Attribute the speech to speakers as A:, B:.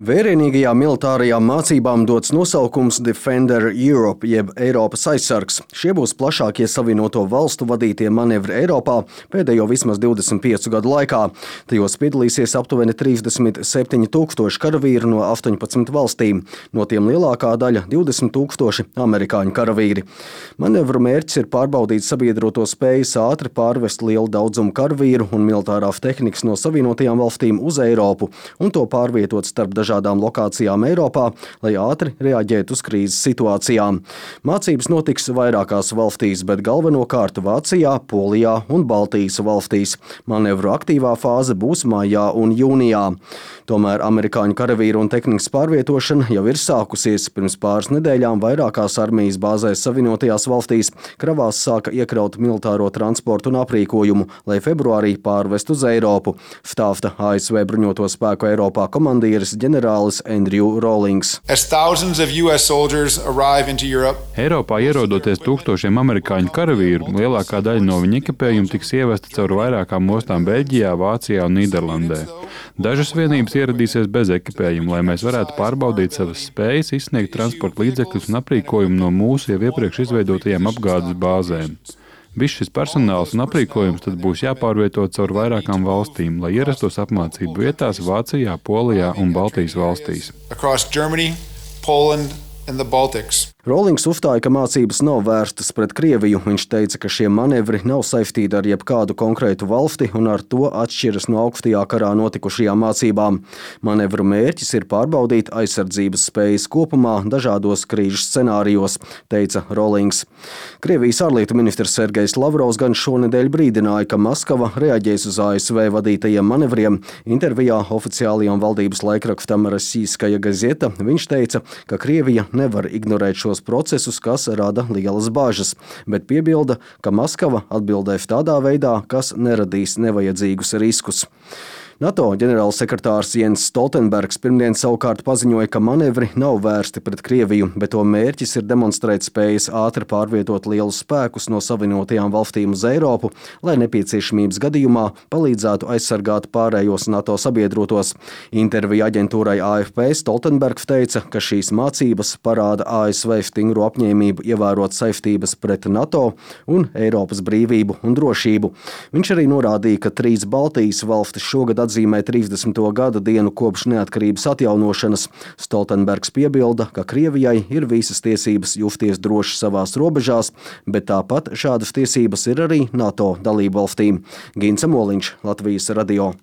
A: Vērienīgajām militārajām mācībām dots nosaukums Defender Europe, jeb Eiropas aizsargs. Šie būs plašākie Savienoto valstu vadītie manevri Eiropā pēdējo vismaz 25 gadu laikā. Tajos piedalīsies aptuveni 37,000 karavīru no 18 valstīm, no tiem lielākā daļa 20,000 amerikāņu karavīri. Manevru mērķis ir pārbaudīt sabiedroto spējas ātri pārvest lielu daudzumu karavīru un militārās tehnikas no Savienotajām valstīm uz Eiropu un to pārvietot starp dažādām lokācijām Eiropā, lai ātri reaģētu uz krīzes situācijām. Mācības notiks vairākās valstīs, bet galvenokārt Vācijā, Polijā un Baltijas valstīs. Manevru aktīvā fāze būs maijā un jūnijā. Tomēr amerikāņu karavīru un tehnikas pārvietošana jau ir sākusies. Pirms pāris nedēļām vairākās armijas bāzēs Savienotajās valstīs kravās sāka iekraut militāro transportu un aprīkojumu, lai februārī pārvest uz Eiropu, stāsta ASV bruņoto spēku Eiropā komandieris ģenerālis Andrew Rawlings.
B: Eiropā ierodoties tūkstošiem amerikāņu karavīru, lielākā daļa no viņa ekipējuma tiks ievesta caur vairākām ostām Beļģijā, Vācijā un Nīderlandē. Dažas vienības ieradīsies bez ekipējuma, lai mēs varētu pārbaudīt savas spējas, izsniegt transporta līdzekļus un aprīkojumu no mūsu jau iepriekš izveidotajām apgādes bāzēm. Viss šis personāls un aprīkojums tad būs jāpārvieto caur vairākām valstīm, lai ierastos apmācību vietās Vācijā, Polijā un Baltijas valstīs.
A: Rawlings uzstāja, ka mācības nav vērstas pret Krieviju. Viņš teica, ka šie manevri nav saistīti ar jebkādu konkrētu valsti un ar to atšķiras no augstajā karā notikušajām mācībām. Manevru mērķis ir pārbaudīt aizsardzības spējas kopumā dažādos krīžu scenārijos, teica Rawlings. Krievijas ārlietu ministrs Sergejs Lavrovs gan šonedēļ brīdināja, ka Maskava reaģēs uz ASV vadītajiem manevriem. Intervijā oficiālajam valdības laikrakstam Rossijskaja gazeta viņš teica, ka Krievija nevar ignorēt šos procesus, kas rada lielas bāžas, bet piebilda, ka Maskava atbildēs tādā veidā, kas neradīs nevajadzīgus riskus. NATO ģenerālsekretārs Jens Stoltenbergs pirmdien savukārt paziņoja, ka manevri nav vērsti pret Krieviju, bet to mērķis ir demonstrēt spējas ātri pārvietot lielus spēkus no Savienotajām valstīm uz Eiropu, lai nepieciešamības gadījumā palīdzētu aizsargāt pārējos NATO sabiedrotos. Intervija aģentūrai AFP Stoltenbergs teica, ka šīs mācības parāda ASV stingru apņēmību ievērot saistības pret NATO un Eiropas brīvību un drošību. Viņš arī norādīja, ka 3 Baltijas valstis šogad atzīmē 30. gada dienu kopš neatkarības atjaunošanas. Stoltenbergs piebilda, ka Krievijai ir visas tiesības justies droši savās robežās, bet tāpat šādas tiesības ir arī NATO dalībvalstīm. Gints Moliņš, Latvijas radio.